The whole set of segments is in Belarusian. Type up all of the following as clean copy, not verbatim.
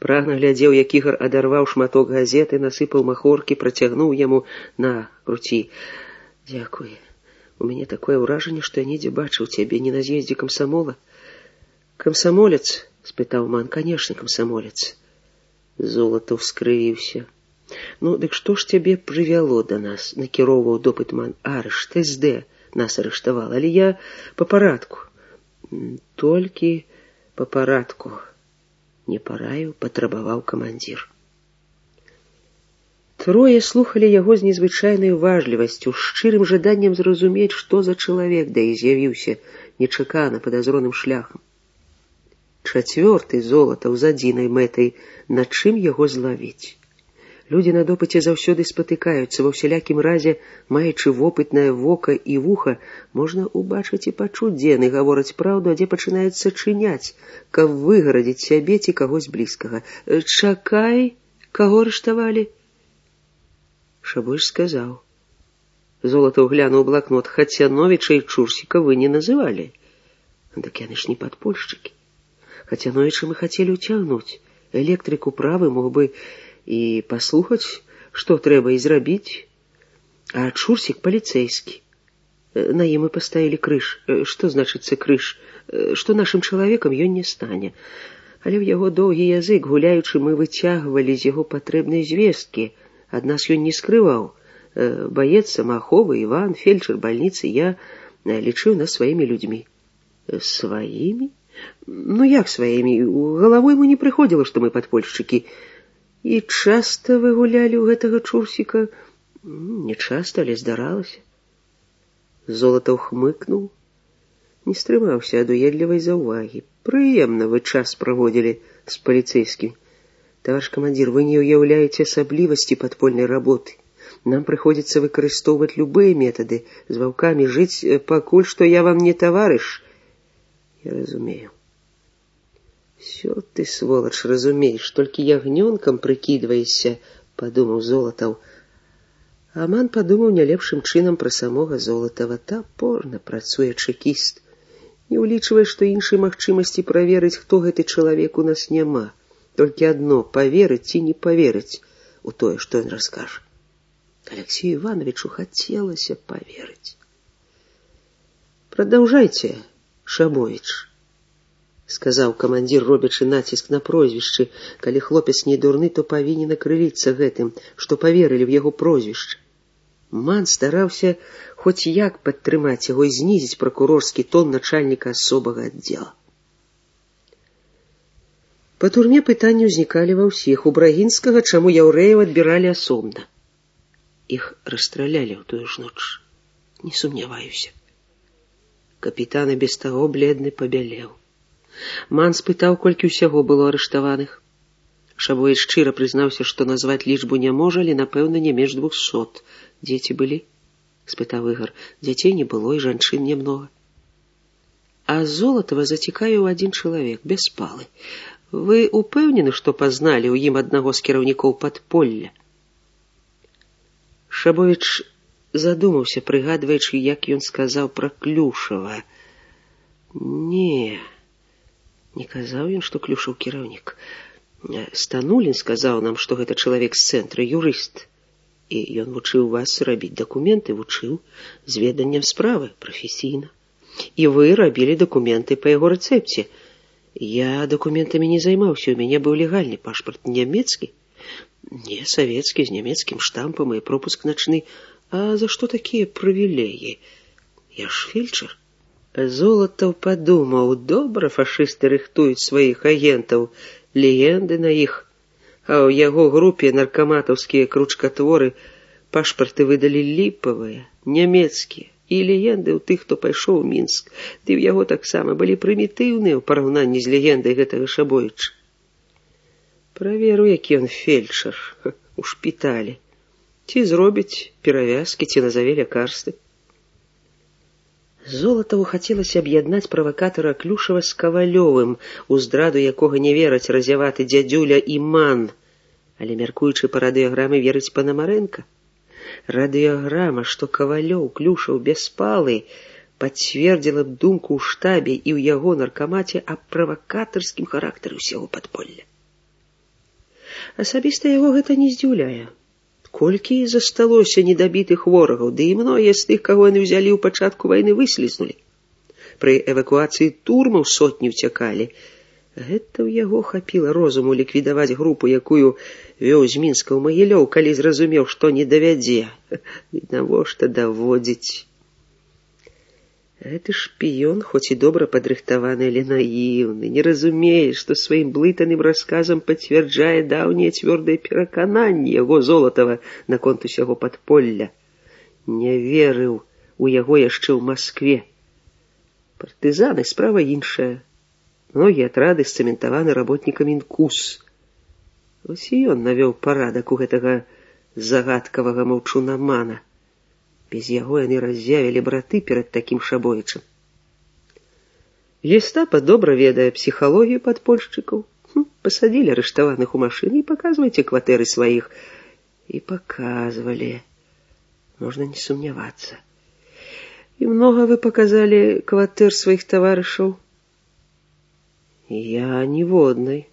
Прагна глядзеў, як Ігар адарваў шматок газеты, насыпаў махоркі, працягнуў яму: «На, круці». «Дзякуй. У мяне такое ўражанне, што я недзе бачыў цябе. Не на з'ездзе камсамола?» «Камсамолец?» — спытаў Ман. «Канешне, камсамолец». Золатаў скрывіўся. «Ну, дык што ж цябе прывяло да нас?» — накіроўваў допыт Ман. «Арышт, СД нас арыштавал, але я па парадку». «Толькі па парадку», — не параіў, патрабаваў камандзір. Трое слухалі яго з незвычайнай уважлівасцю, з шчырым жаданнем зразумець, што за чалавек да іх з'явіўся нечакана падазроным шляхам. Чацвёрты Золатаў з адзінай мэтай, над чым яго злавіць. Людзі на допыце заўсёды спатыкаюцца, ва ўсялякім разе, маючы вопытнае вока і вуха, можна убачыць і пачуць, дзе яны гавораць праўду, а дзе пачынаюць сачыняць, каб выгарадзіць сябе ці кагось блізкага. «Чакай, каго арыштавалі?» Шабойш сказаў. Золатаў глянуў у блакнот. «Хацяновіча і Чурсіка вы не называлі». «Так яны ж не падпольшчыкі. Хацяновіча мы хацелі ўцягнуць. Электрык управы мог бы і паслухаць, што трэба і зрабіць. А Чурсік паліцэйскі. На ім мы паставілі крыж. Што значыцца крыж? Што нашым чалавекам ён не стане. Але ў яго доўгі язык, гуляючы, мы выцягвалі з яго патрэбнай звесткі. Ад нас ён не скрываў. Баец самааховы, Іван, фельчар бальніцы, я лічыў нас сваімі людзьмі». «Сваімі? Ну як сваімі? Галавой ему не прыходзіла, што мы падпольшчыкі». «І часта вы гулялі ў гэтага Чурсіка?» «Не часта, але здаралася». Золатаў хмыкнуў, не стрымаўся ад уедлівай заўвагі. «Прыемна вы час праводзілі з паліцэйскім. Таварыш камандзір, вы не ўяўляеце асаблівасці падпольнай работы. Нам прыходзіцца выкарыстоўваць любыя метады, з ваўкамі жыць, пакуль што я вам не таварыш». «Я разумею». «Всё ты, сволач, разумееш, толькі ягнёнкам прыкідваешся», — падумаў Золатаў. Аман падумаў не лепшым чынам пра самога Золатава. Тапорна працуе чэкіст. Не ўлічвае, што іншай магчымасці праверыць, хто гэты чалавек, у нас няма. Толькі адно — паверыць ці не паверыць у тое, што ён раскажа. Алексею Ивановичу хацелася паверыць. «Прадаўжайце, Шабовіч», — сказаў камандзір, робячы націск на прозвішчы. Калі хлопец не дурны, то павінен акрыліцца гэтым, што паверылі ў яго прозвішча. Ман стараўся хоць як падтрымаць яго і знізіць пракурорскі тон начальніка асобага аддзела. Па турме пытанні ўзнікалі ва ўсіх. У Брагінскага, чаму яўрэяў адбіралі асобна. Іх расстралялі ў тую ж ноч. Не сумняваюся. Капітан і без таго бледны пабялеў. Ман спытаў, колькі ўсяго было арыштаваных. Шабой шчыра прызнаўся, што назваць лічбу не можа, але, напэўна, не менш 200. «Дзеці былі?» — спытаў Ігар. «Дзяцей не было, і жанчын немнога». А Золатава зацікавіў адзін чалавек, Бяспалы. «Вы упэўнены, што пазналі ў ім аднаго з кіраўнікоў падполля?» Шабовіч задумаўся, прыгадваючы, як ён сказаў пра Клюшава. «Не, не казаў ён, што Клюшаў кіраўнік. Станулін сказаў нам, што гэта чалавек з цэнтра, юрыст. І ён вучыў вас рабіць дакументы, вучыў з веданнем справы, прафесійна. І вы рабілі дакументы па яго рэцэпце. Я дакументамі не займаўся, у мяне быў легальны пашпарт. Нямецкі? Не, савецкі, з нямецкім штампам і пропуск начны. А за што такія прывілеі? Я ж фельчар». Золатаў падумаў, добра фашысты рыхтуюць сваіх агентаў, легенды на іх. А ў яго групе наркаматаўскія кручкатворы пашпарты выдалі ліпавыя, нямецкія, і легенды ў тых, хто пайшоў у Мінск. Ды ў яго таксама былі прымітыўныя ў параўнанні з легендай гэтага Шабовіча. Праверу, які ён фельчар у шпіталі. Ці зробіць перавязкі, ці назаве лякарствы. Золатаву хацелася аб'яднаць правакатара Клюшава з Кавалёвым, у здраду якога не вераць разяваты дзядзюля і Ман. Але, мяркуючы па радыёграмы, верыць Панамарэнка. Радыёграма, што Кавалёў, Клюшаў, Бяспалы, пацвердзіла б думку ў штабе і ў яго наркамаце аб правакатарскім характары ўсяго падполля. Асабіста яго гэта не здзіўляе. Колькі засталося недабітых ворагаў, ды і многія з тых, каго яны ўзялі ў пачатку вайны, выслізнулі. Пры эвакуацыі турмаў сотні ўцякалі. Гэта ў яго хапіла розуму ліквідаваць групу, якую вёў з Мінска ў Магілёў, калі зразумеў, што не давядзе. Навошта даводзіць? Гэты шпіён, хоць і добра падрыхтаваны, але наіўны, не разумее, што сваім блытаным расказам пацвярджае даўнія цвёрдыя перакананні яго Золатава наконт усяго падполля. Не верыў у яго яшчэ ў Маскве. Партызаны — справа іншая. Многія атрады сцэментаваны работнікамі НКУС. Вось і ён навёў парадак у гэтага загадкавага маўчунамана. Без яго яны раззявілі браты перад такім Шабовічам. Гестапа добра ведае псіхалогію падпольшчыкаў. Пасадзілі арыштаваных у машыны і паказвайце кватэры сваіх. І паказвалі. Можна не сумнявацца. І многа вы паказалі кватэр сваіх таварышаў? Я ніводнай.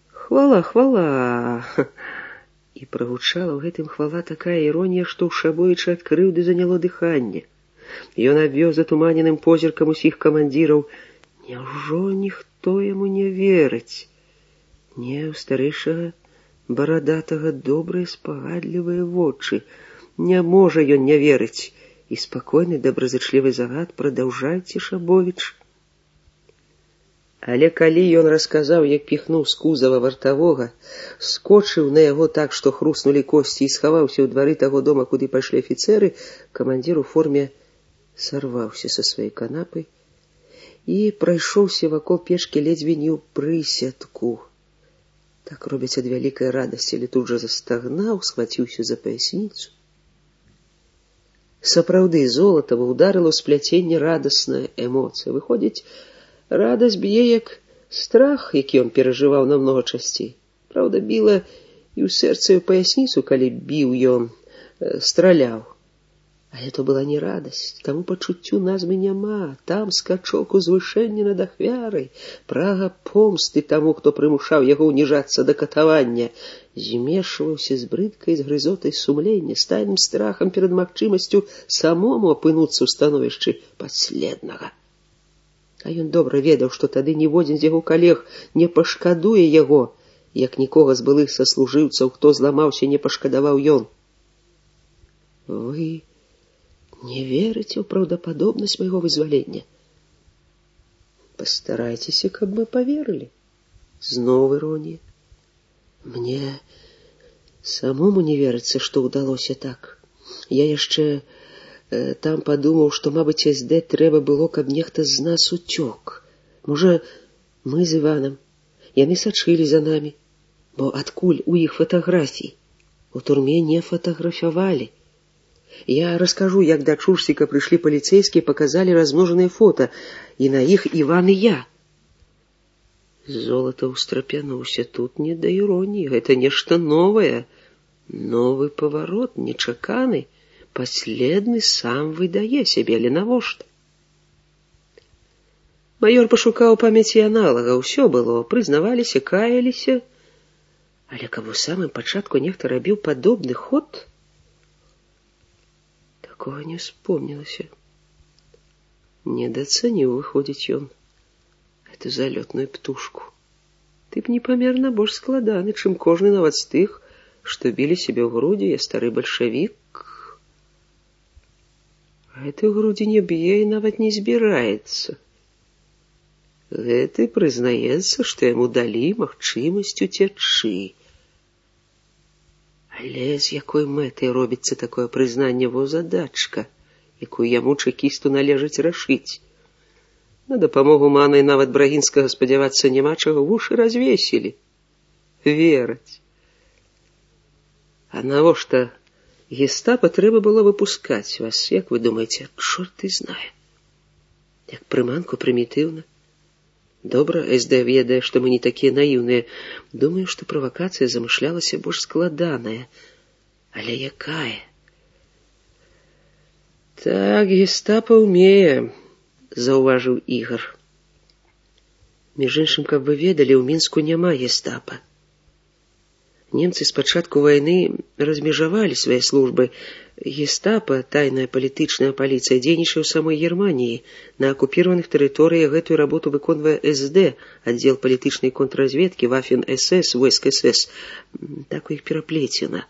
Хвала, хвала. І прагучала ў гэтым хвала такая іронія, што ў Шабовіча ад крыўды заняло дыханне. Ён абвёў затуманеным позіркам усіх камандзіраў. Няўжо ніхто яму не верыць? Не, у старэйшага барадатага добрыя спагадлівыя вочы. Не можа ён не верыць. І спакойны добразычлівы загад: прадаўжайце, Шабовіч. Але калі ён расказаў, як піхнуў з кузава вартавога, скочыў на яго так, што хруснулі косці, і схаваўся ў двары таго дома, куды пайшлі афіцэры, камандзір у форме сарваўся са сваёй канапы і прайшоўся вакол печкі ледзьве не ў прысядку. Так робяць ад вялікай радасці, але тут жа застагнаў, схваціўся за паясніцу. Сапраўды, Золатава ўдарыла ў спляценне радасная эмоцыя. Выходзіць, радасць б'е як страх, які ён перажываў намнога часцей. Праўда, біла і ў сэрца, і ў паясніцу, калі біў ён, страляў. Але то была не радасць, таму пачуццю назвы няма. Там скачок узвышэння над ахвярай, прага помсты таму, хто прымушаў яго ўніжацца да катавання, змешваўся з брыдкай, з грызотай сумлення, з тайным страхам перад магчымасцю самому апынуцца ў становішчы падследнага. А ён добра ведаў, што тады ніводзін з яго калег не пашкадуе яго, як нікога з былых саслужыўцаў, хто зламаўся, не пашкадаваў ён. Вы не верыце ў праўдападобнасць майго вызвалення? Пастарайцеся, каб мы паверылі. Зноў іронія. Мне самому не верыцца, што ўдалося так. Я яшчэ там падумаў, што, мабыць, СД трэба было, каб нехта з нас уцёк. Можа, мы з Іванам. Яны сачылі за намі. Бо адкуль у іх фатаграфій? У турме не фатаграфавалі. Я раскажу, як да Чурсіка прыйшлі паліцэйскія, паказалі размножаныя фота, і на іх Іван і я. Золата ўстрапянуўся. Тут не да іроніі, гэта нешта новае. Новы паварот, нечаканы. Паследны сам выдае сябе, але навошта? Маёр пашукаў памяці аналага, ўсё было, прызнаваліся, каяліся. Але каб у самым пачатку нехта рабіў падобны ход, такога не успомнілася. Недацаніў, выходзіць, ён гэту залётную птушку. Ты б непамерна больш складаны, чым кожны нават з тых, што білі сябе ў грудзі. Я стары бальшавік. Гэты ў грудзі не б'е і нават не збіраецца. Гэты прызнаецца, што яму далі магчымасць уцячы. Але з якой мэтай робіцца такое прызнанне? Во задачка, якую яму, чэкісту, належыць рашыць. На дапамогу манай нават Брагінскага спадзявацца няма чаго, вушы развесілі. Вераць. А навошта гестапа трэба было выпускаць вас, як вы думаеце? Чорт і знае. Як прыманку, прымітыўна. Добра, СД ведае, што мы не такія наіўныя. Думаю, што правакацыя замышлялася больш складаная. Але якая? Так, гестапа ўмее, заўважыў Ігар. Між іншым, каб вы ведалі, у Мінску няма гестапа. Немцы з пачатку вайны размежавалі свае службы. Гестапа, тайная палітычная паліцыя, дзейнічае ў самой Германіі. На акупіраваных тэрыторыях гэтую работу выконвае СД, аддзел палітычнай контрразведкі, Waffen-СС, войск СС. Так у іх пераплецена.